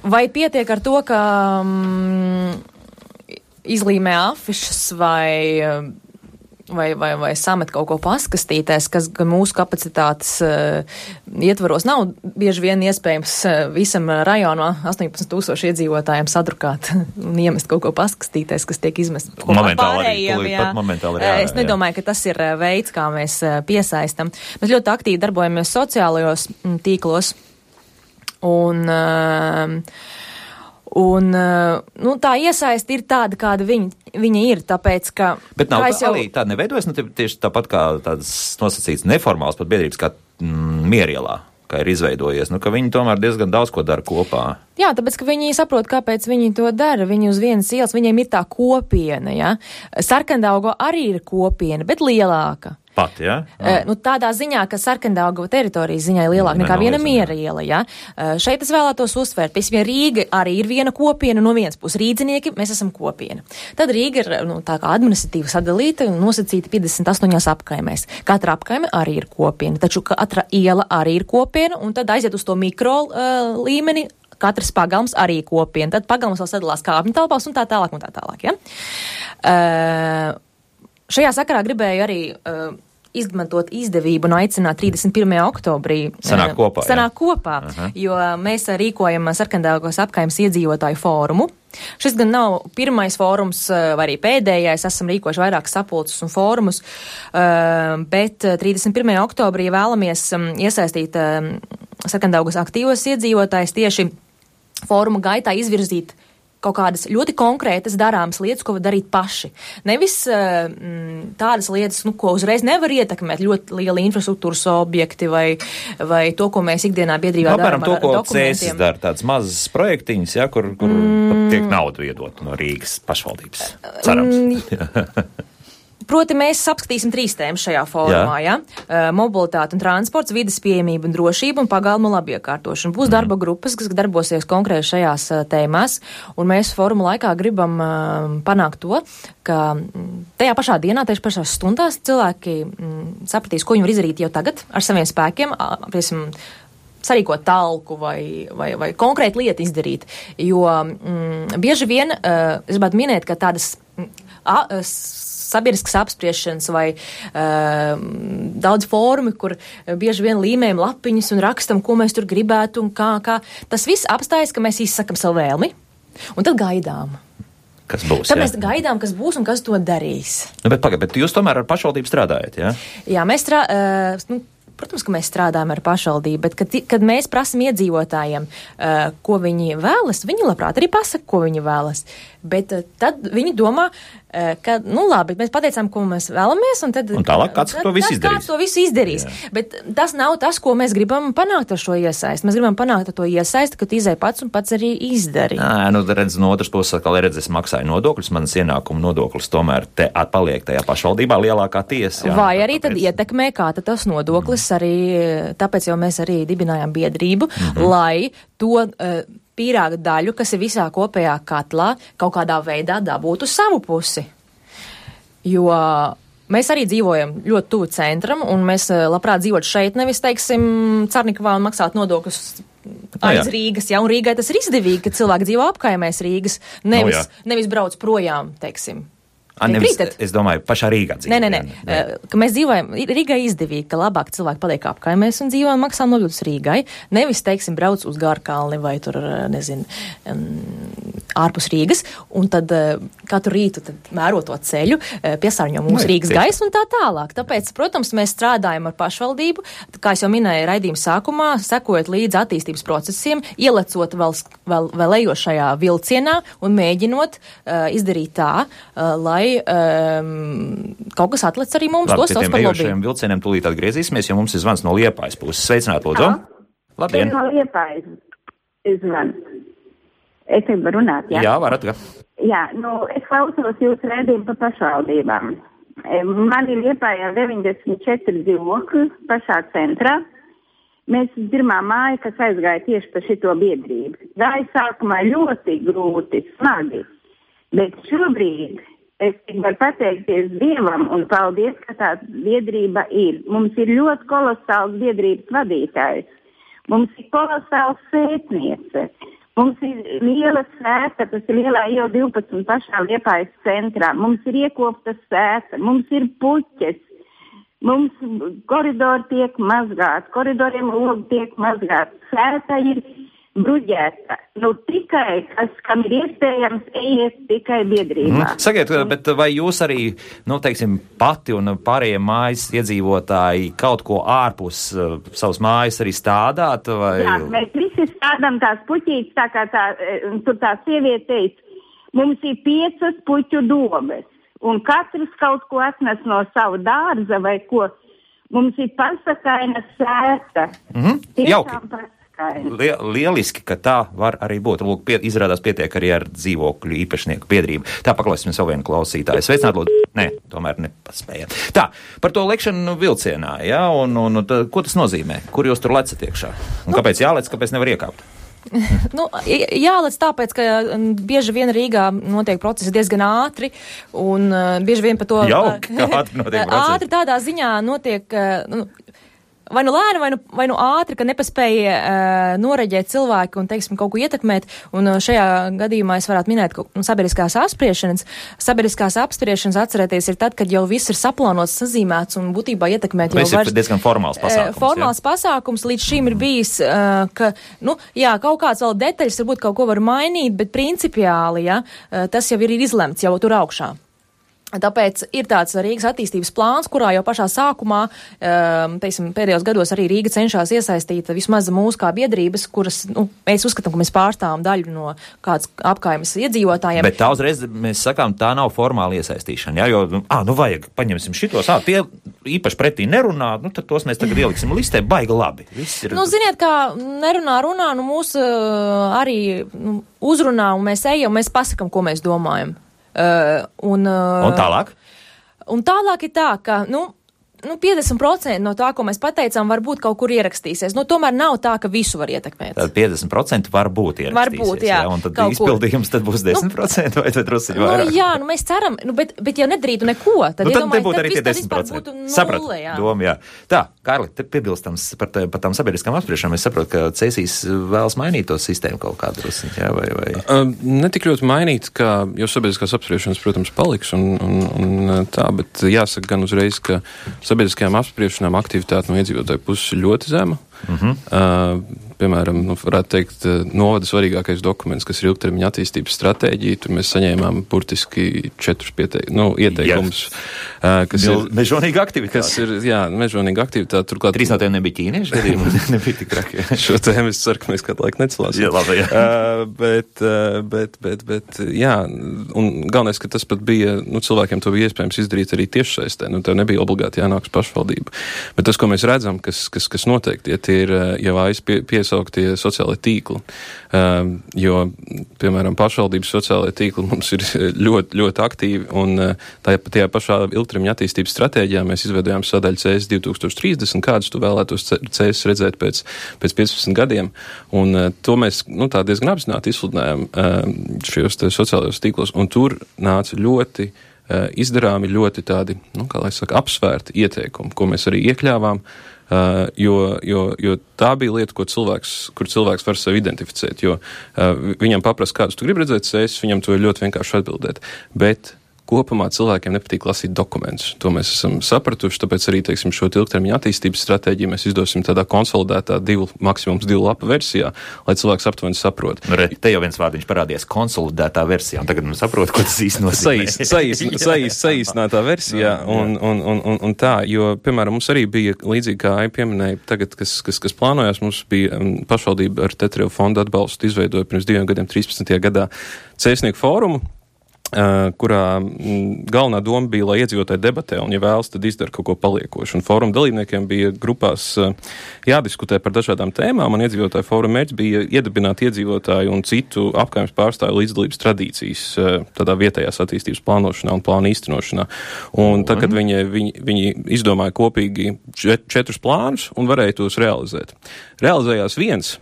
B: Vai pietiek ar to, ka izlīmē afišas vai samet kaut ko paskastītēs, kas mūsu kapacitātes ietvaros nav bieži vien iespējams visam rajonā 18,000 iedzīvotājiem sadrukāt un iemest kaut ko paskastītēs, kas tiek izmest pārējiem. Es nedomāju, ka tas ir veids, kā mēs piesaistam. Mēs ļoti aktīvi darbojamies sociālajos tīklos un tā iesaisti ir tāda, kāda viņa ir, tāpēc, ka...
A: Bet nav arī tāda neveidojas, tieši tāpat kā tādas nosacītas neformāls pat biedrības kā Mierielā, kā ir izveidojies, ka viņi tomēr diezgan daudz ko dara kopā.
B: Jā, tāpēc, ka viņi saprot, kāpēc viņi to dara. Viņi uz vienas ielas, viņiem ir tā kopiena, ja? Sarkandaugava arī ir kopiena, bet lielāka.
A: Pat, jā?
B: Tādā ziņā, ka Sarkandaugava teritorijas ziņā ir lielāka nekā viena Mieriela, ja? Šeit es vēlētos uzsvērt, piemēram, Rīga arī ir viena kopiena, no vienas puses Rīdzinieki, mēs esam kopiena. Tad Rīga ir, tā kā administratīvi sadalīta un nosacīta 58 apkaimēs. Katra apkaime arī ir kopiena, taču katra iela arī ir kopiena, un tad aiziet uz to mikro līmeni, katrs pagalms arī kopiena. Tad pagalms vēl sadalās kāpņu telpās un tā tālāk, ja? Šajā sakarā gribēju arī izmantot izdevību un aicināt 31. oktobrī
A: sanāk kopā,
B: jo mēs rīkojam Sarkandāgos apkaimes iedzīvotāju fórumu. Šis gan nav pirmais fórums, vai arī pēdējais, esam rīkojuši vairākas sapulces un fórumus, bet 31. oktobrī vēlamies iesaistīt Sarkandāgos aktīvos iedzīvotājus tieši fóruma gaitā izvirzīt kaut kādas ļoti konkrētas darāmas lietas, ko var darīt paši. Nevis tādas lietas, ko uzreiz nevar ietekmēt, ļoti lieli infrastruktūras objekti vai to, ko mēs ikdienā biedrībā darām ar dokumentiem. To, ko Cēsis dara,
A: tāds mazas projektiņas, ja, kur tiek naudu iedot no Rīgas pašvaldības. Cerams.
B: Proti, mēs apskatīsim 3 tēmas šajā fórumā, ja? Mobilitāte un transports, vides pieejamība un drošība un pagalma labiekārtošana. Būs darba grupas, kas darbosies konkrēti šajās tēmās, un mēs fóruma laikā gribam panākt to, ka tajā pašā dienā, tieši pašās stundās cilvēki sapratīs, ko viņi var izdarīt jau tagad ar saviem spēkiem, sarīkot talku vai konkrētu lietu izdarīt. Jo bieži vien, es gribētu minēt, ka tādas sabiedriskas apspriešanas vai daudz fórumi, kur bieži vien līmējam lapiņas un rakstam, ko mēs tur gribētu un kā. Tas viss apstājas, ka mēs izsakam savu vēlmi un tad gaidām.
A: Kas būs,
B: tad mēs gaidām, kas būs un kas to darīs.
A: Bet jūs tomēr ar pašvaldību strādājat, jā?
B: Jā, mēs protams, ka mēs strādājam ar pašvaldību, bet kad mēs prasam iedzīvotājiem, ko viņi vēlas, viņi labprāt arī pasaka, ko viņi vēlas. Bet tad viņi domā, ka, labi, mēs pateicām, ko mēs vēlamies, un tad...
A: Un tālāk kāds to visu izdarīs.
B: Kāds to visu izdarīs. Jā. Bet tas nav tas, ko mēs gribam panākt ar šo iesaisti. Mēs gribam panākt ar to iesaisti, ka tu izēj pats un pats arī izdari.
A: Redz, no otras puses, kā es maksāju nodokļus, manas ienākuma nodoklis tomēr te atpaliek tajā pašvaldībā lielākā tiesa. Jā,
B: vai arī tad ietekmē, kā tad tas nodoklis arī, tāpēc jau mēs arī dibinājām biedrību, lai to... pīrāga daļu, kas ir visā kopējā katlā, kaut kādā veidā dabūtu savu pusi. Jo mēs arī dzīvojam ļoti tuvu centram, un mēs labprāt dzīvot šeit, nevis, teiksim, Carnikavā un maksāt nodokļus aiz Rīgas, ja, un Rīgai tas ir izdevīgi, ka cilvēki dzīvo apkaimēs Rīgas, nevis brauc projām, teiksim.
A: Es domāju, pašā Rīgā dzīvo.
B: Nē. Ka mēs dzīvojam, Rīgai izdevīgi, ka labāk cilvēki paliek apkaimēs un dzīvo un maksā nodokļus Rīgai. Nevis, teiksim, brauc uz Gārkalni vai tur, ārpus Rīgas, un tad katru rītu tad mēro to ceļu, piesārņo mūsu Rīgas gaisu un tā tālāk. Tāpēc, protams, mēs strādājam ar pašvaldību, kā es jau minēju raidījuma sākumā, sekojot līdz attīstības procesiem, ielecot vēl ejošajā vilcienā un mēģinot izdarīt tā, lai kaut kas atlec arī mums.
A: Labi, pie tiem ejošajiem vilcieniem tūlīt atgriezīsimies, jo mums ir zvans no Liepājas puses. Sveicināt, lūdzu. Labdien.
I: No Liepājas zvans. Es tev varu runāt, jā?
A: Jā, varat.
I: Jā, es klausos jūsu rēdījumu par pašvaldībām. Man ir Liepājā 94 dzīvokļi pašā centrā. Mēs pirmā māja, kas aizgāja tieši par šito biedrību. Gāja sākumā ļoti grūti, smagi. Bet šobrīd es varu pateikties Dievam un paldies, ka tā biedrība ir. Mums ir ļoti kolosāls biedrības vadītājs. Mums ir kolosāls sētniece. Mums ir liela sēta, tas ir lielā jau 12 pašā Liepājas centrā. Mums ir iekopta sēta, mums ir puķes. Mums koridori tiek mazgāti, koridoriem logi tiek mazgāti. Sēta ir bruģēta. Tikai, kam ir iespējams, ejiet tikai biedrībā.
A: Sakiet, bet vai jūs arī, teiksim, pati un pārējie mājas iedzīvotāji kaut ko ārpus savas mājas arī stādāt? Vai...
I: Jā, mēs visi stādām tās puķītes, tā kā tur tā sieviete teica, mums ir 5 puķu dobes, un katrs kaut ko atnes no savu dārza vai ko. Mums ir pasakaina sēta.
A: Jauki. Lieliski, ka tā var arī būt. Lūk, izrādās pietiek arī ar dzīvokļu īpašnieku biedrību. Tā paklausīsim savu vienu klausītāju. Sveicināt, lūdzu. Nē, tomēr nepaspējam. Tā, par to lekšanu vilcienā, jā, un ko tas nozīmē? Kur jūs tur lecat iekšā? Un kāpēc jālec, kāpēc nevar iekāpt?
B: Jālec tāpēc, ka bieži vien Rīgā notiek procesi diezgan ātri, un bieži vien par to...
A: Jauki, kā ātri notiek procesi?
B: Ātri tādā ziņā notiek... vai nu lēni, vai nu ātri, ka nepaspēja noreģēt cilvēki un, teiksim, kaut ko ietekmēt. Un šajā gadījumā es varētu minēt, ka sabiedriskās apspriešanas atcerēties ir tad, kad jau viss ir saplānots, sazīmēts un būtībā ietekmēt jau
A: var. Diezgan formāls pasākums.
B: Formāls pasākums līdz šim ir bijis, ka, kaut kāds vēl detaļas varbūt kaut ko var mainīt, bet principiāli, tas jau ir izlemts jau tur augšā. Tāpēc ir tāds Rīgas attīstības plāns, kurā jau pašā sākumā, pēdējos gados arī Rīga cenšas iesaistīt vismaz mūsu kā biedrības, kuras, mēs uzskatām, ka mēs pārstāvam daļu no kādas apkaimes iedzīvotājiem.
A: Bet tā uzreiz mēs sakām, tā nav formāla iesaistīšana, jo, vajag, paņemsim šitos, tie īpaši pretī nerunā, tad tos mēs tagad ieliksim listē, baigi labi.
B: Ziniet, kā nerunā, mūs arī uzrunā, un mēs ejam, mēs pasakam, ko mēs domājam. Un
A: tālāk?
B: Un tālāk ir tā, ka, 50% no tā, ko mēs pateicām, varbūt kaut kur ierakstīsies. Tomēr nav tā, ka visu var ietekmēt.
A: Tad 50% varbūt ierakstīsies.
B: Varbūt, jā.
A: Un tad izpildījums tad būs 10% vai tad drusciņi vairāk?
B: Mēs ceram, bet ja nedarītu neko, tad
A: nebūtu arī tie 10%. Sapratu, doma, jā. Tā, Kārli, te piebilstams par tām sabiedriskām apspriešanām, es saprotu, ka Cēsīs vēlas mainīt to sistēmu kaut kādu drusciņu, jā, vai?
C: Ne tik ļoti mainīt, jo sabiedriskās apspriešanas, protams, paliks un tā, bet jāsaka gan uzreiz, ka sabiedriskajām apspriešanām aktivitāte no iedzīvotāju puses ļoti zema. Piemēram, varētu teikt, novada svarīgākais dokuments, kas ir ilgtermiņa attīstības stratēģija. Tur mēs saņēmām burtiski 4 ieteikumus. Kas ir
A: mežonīga aktivitāte.
C: Mežonīga aktivitāte. Turklāt
A: 3 no tiem nebija ķīnieši, nebija tik traki.
C: Šo tēmu es ceru, ka mēs kādu laiku necelāsim.
A: Jā, labi,
C: bet, un galvenais, ka tas pat bija, cilvēkiem to bija iespējams izdarīt arī tiešsaistē. Tev nebija obligāti jānāks pašvaldība. Bet tas, ko mēs redzam, kas noteikti, tie ir jau piesauktie sociālai tīkli. Jo, piemēram, pašvaldības sociālai tīkli mums ir ļoti, ļoti aktīvi, un tajā pašā ilgtermiņa attīstības stratēģijā mēs izveidojām sadaļu CS 2030, kādus tu vēlētos CS redzēt pēc 15 gadiem, un to mēs, tā diezgan apzināti izsludinājām šajos sociālajos tīklos, un tur nāca ļoti izdarāmi ļoti tādi, apsvērti ieteikumi, ko mēs arī iekļāvām, jo tā bija lieta, kur cilvēks var sevi identificēt, jo viņam paprast, kādus tu gribi redzēt, viņam to ir ļoti vienkārši atbildēt, bet kopumā cilvēkiem nepatīk lasīt dokumentus. To mēs esam sapratuši, tāpēc arī, šo ilgtermiņa attīstības stratēģiju mēs izdosim tādā konsolidētā maksimums 2 lapu versijā, lai cilvēks aptuveni saprot.
A: Te jau viens vārdiņš parādījās konsolidētā versijā, un tagad saprot, ko tas īsti nozīmē.
C: Saīsinātā versijā, un tā, jo, piemēram, mums arī bija līdzīgi, kā Ai pieminēja, tagad, kas plānojās, mums bija pašvaldība ar Tetriju fondu atbalstu izveidoja pirms 2 gadiem, 13. gadā Cēsnieku fórumu, kurā galvenā doma bija, lai iedzīvotāji debatē, un, ja vēlas, tad izdara kaut ko paliekošu. Un fóruma dalībniekiem bija grupās jādiskutē par dažādām tēmām, un iedzīvotāju fóruma mērķis bija iedibināt iedzīvotāju un citu apkaimes pārstāvju līdzdalības tradīcijas tādā vietējās attīstības plānošanā un plānu īstenošanā. Un tad, kad viņi izdomāja kopīgi 4 plānus un varēja tos realizēt. Realizējās viens,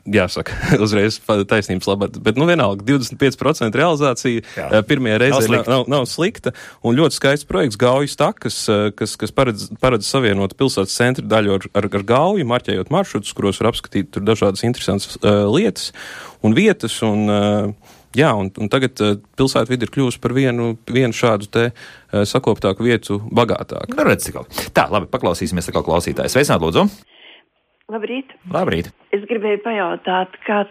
C: jāsaka, uzreiz taisnības labāk, bet vienalga 25% realizācija pirmajā reizē nav slikta, un ļoti skaists projekts Gaujas takas, kas paredz savienot pilsētas centra daļu ar Gauju, marķējot maršrutus, kuros var apskatīt tur dažādas interesantas lietas un vietas, un tagad pilsētvide ir kļuvusi par vienu šādu te sakoptāku vietu bagātāku.
A: Tā, labi, paklausīsimies atkal klausītājs. Sveicināt, lūdzu!
J: Labrīt.
A: Labrīt.
J: Es gribēju pajautāt, kā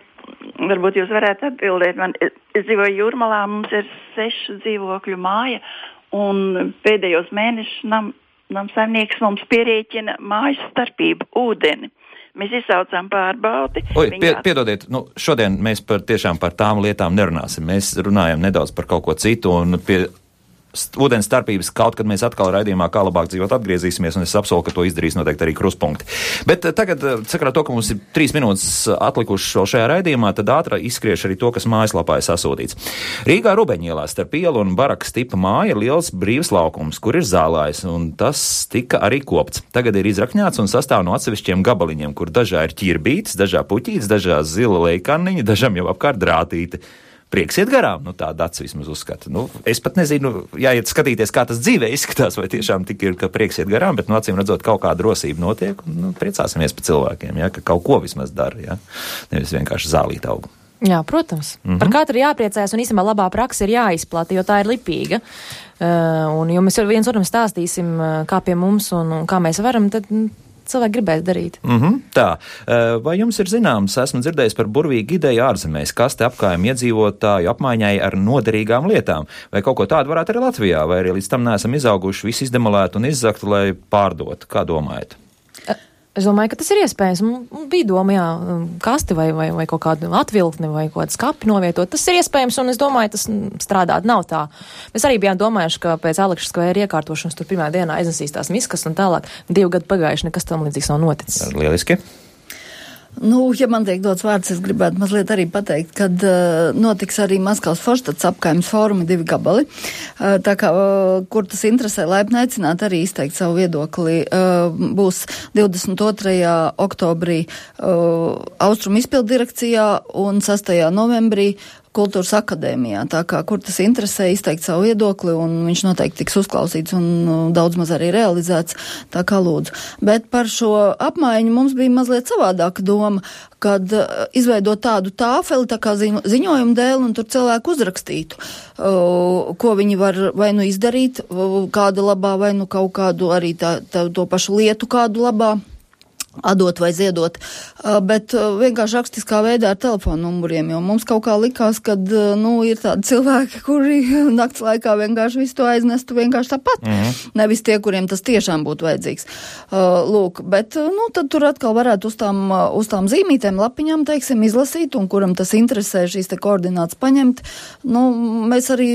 J: varbūt jūs varētu atbildēt. Es dzīvoju Jūrmalā, mums ir 6 dzīvokļu māja, un pēdējos mēnešus namsaimnieks mums pierēķina mājas starpību ūdeni. Mēs izsaucām pārbaudi.
A: Piedodiet, šodien mēs tiešām par tām lietām nerunāsim. Mēs runājam nedaudz par kaut ko citu, un pie ūdens starpības kaut kad mēs atkal raidījumā Kā labāk dzīvot atgriezīsimies, un es apsolu, ka to izdarīs noteikti arī Kruspunkti. Bet tagad, sakarā to, ka mums ir 3 minūtes atlikušas vēl šajā raidījumā, tad ātri izskriešu arī to, kas mājaslapā ir sasūtīts. Rīgā Rubeņielā starp ielu un barakas tipa māja ir liels brīvs laukums, kur ir zālājs, un tas tika arī kopts. Tagad ir izrakņāts un sastāv no atsevišķiem gabaliņiem, kur dažā ir ķirbītis, dažā puķītis, dažā zila lejkanniņa, dažam jau apkārt drātīti. prieks iet garām, tā Dats vismaz uzskata. Es pat nezinu, jāiet skatīties, kā tas dzīvē izskatās, vai tiešām tik ir, ka prieks iet garām, bet, acīm redzot, kaut kāda rosība notiek, un priecāsimies par cilvēkiem, ka kaut ko vismaz dara, nevis vienkārši zālīt augu.
B: Jā, protams. Par katru jāpriecājas, un īstenībā labā praksa ir jāizplata, jo tā ir lipīga. Un, jo mēs viens otram stāstīsim, kā pie mums un kā mēs varam, tad cilvēki gribēs darīt.
A: Tā. Vai jums ir zināms, esmu dzirdējis par burvīgu ideju ārzemēs, kaste apkājuma iedzīvotāju apmaiņai ar noderīgām lietām? Vai kaut ko tādu varētu arī Latvijā, vai arī līdz tam neesam izauguši, visu izdemolētu un izzaktu, lai pārdotu? Kā domājat?
B: Es domāju, ka tas ir iespējams. Bija doma, kasti vai kaut kādu atvilkni vai kaut kādu skapi novietot. Tas ir iespējams, un es domāju, tas strādāt nav tā. Mēs arī bijām domājuši, ka pēc Aleksa skvēra iekārtošanas tur pirmā dienā aiznesīs tās miskas un tālāk. 2 gadi pagājuši, nekas tam līdzīgs nav noticis.
A: Lieliski.
D: Ja man tiek dots vārds, es gribētu mazliet arī pateikt, kad notiks arī Maskavas Forštats apkaimes fórumi 2 gabali. Tā kā, kur tas interesē, laipni aicināt arī izteikt savu viedokli. Būs 22. oktobrī Austrum izpildu direkcijā un 6. novembrī Kultūras akadēmijā, tā kā, kur tas interesē izteikt savu viedokli, un viņš noteikti tiks uzklausīts un daudz maz arī realizēts, tā kā lūdzu. Bet par šo apmaiņu mums bija mazliet savādāka doma, kad izveidot tādu tāfeli, tā kā ziņojumu dēli, un tur cilvēku uzrakstītu, ko viņi var vai nu izdarīt kāda labā, vai nu kaut kādu arī to pašu lietu kādu labā atdot vai ziedot, bet vienkārši rakstiskā veidā ar telefonu numuriem, jo mums kaut kā likās, kad, ir tādi cilvēki, kuri nakts laikā vienkārši visu to aiznestu vienkārši tāpat. Nevis tie, kuriem tas tiešām būtu vajadzīgs. Lūk, bet, tad tur atkal varētu uz tām zīmītēm, lapiņām, teiksim, izlasīt, un kuram tas interesē šīs te koordinātas paņemt. Mēs arī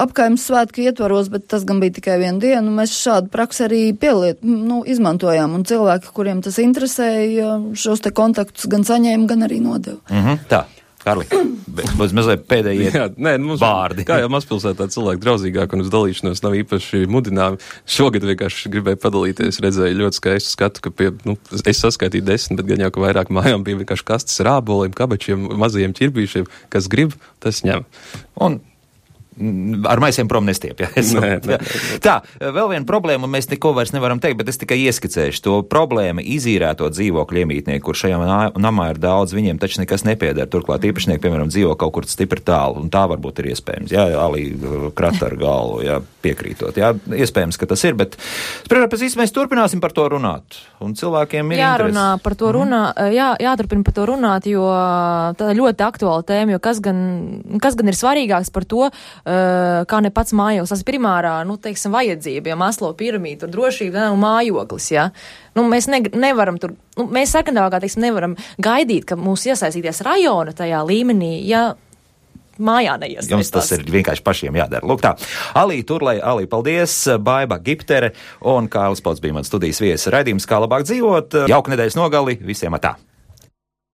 D: apkaimes svētku ietvaros, bet tas gan bija tikai 1 dienu, mēs šādu praksi arī izmantojām, un cilvēki, kuriem tas interesēja, šos te kontaktus gan saņēma, gan arī nodeva.
A: Tā, Karli, būs mazliet pēdējie vārdi.
C: Kā jau mazpilsētā cilvēki draudzīgāk un uz dalīšanos nav īpaši mudināmi. Šogad vienkārši gribēju padalīties, redzēju ļoti skaistu skatu, ka es saskaitīju 10, bet gan jau, ka vairāk mājām bija vienkārši kastes ar āboliem, kabačiem, mazajiem ķirbīšiem, kas grib, tas ņem.
A: Un ar maisiem prom nestiep, Nē. Tā, vēl viena problēma, mēs neko vairs nevaram teikt, bet es tikai ieskicēšu to problēmu izīrēto dzīvokļu iemītnieku, kur šajā namā ir daudz, viņiem taču nekas nepieder. Turklāt īpašnieki, piemēram, dzīvo kaut kur stipri tālu, un tā varbūt ir iespējams. Alī krata ar galvu, piekrītot. Iespējams, ka tas ir, bet pēc īsti mēs turpināsim par to runāt. Un cilvēkiem ir
B: jārunā par to jāturpina par to runāt, jo tā ir ļoti aktuāla tēma, jo kas gan ir svarīgāks par to, kā ne pats mājoklis, tas primārā, vajadzība, Maslow piramīda, tur drošība un mājoklis, Mēs nevaram tur, mēs Sarkandāvā, nevaram gaidīt, ka mūs iesaistīties rajona tajā līmenī, mājā neiesaistās.
A: Jums tas ir vienkārši pašiem jādara. Lūk tā, Alī Turlei, paldies, Baiba Giptere un Kārlis Pots bija mans studijas viesis. Raidījums Kā labāk dzīvot, jauka nedēļas nogali, visiem atā!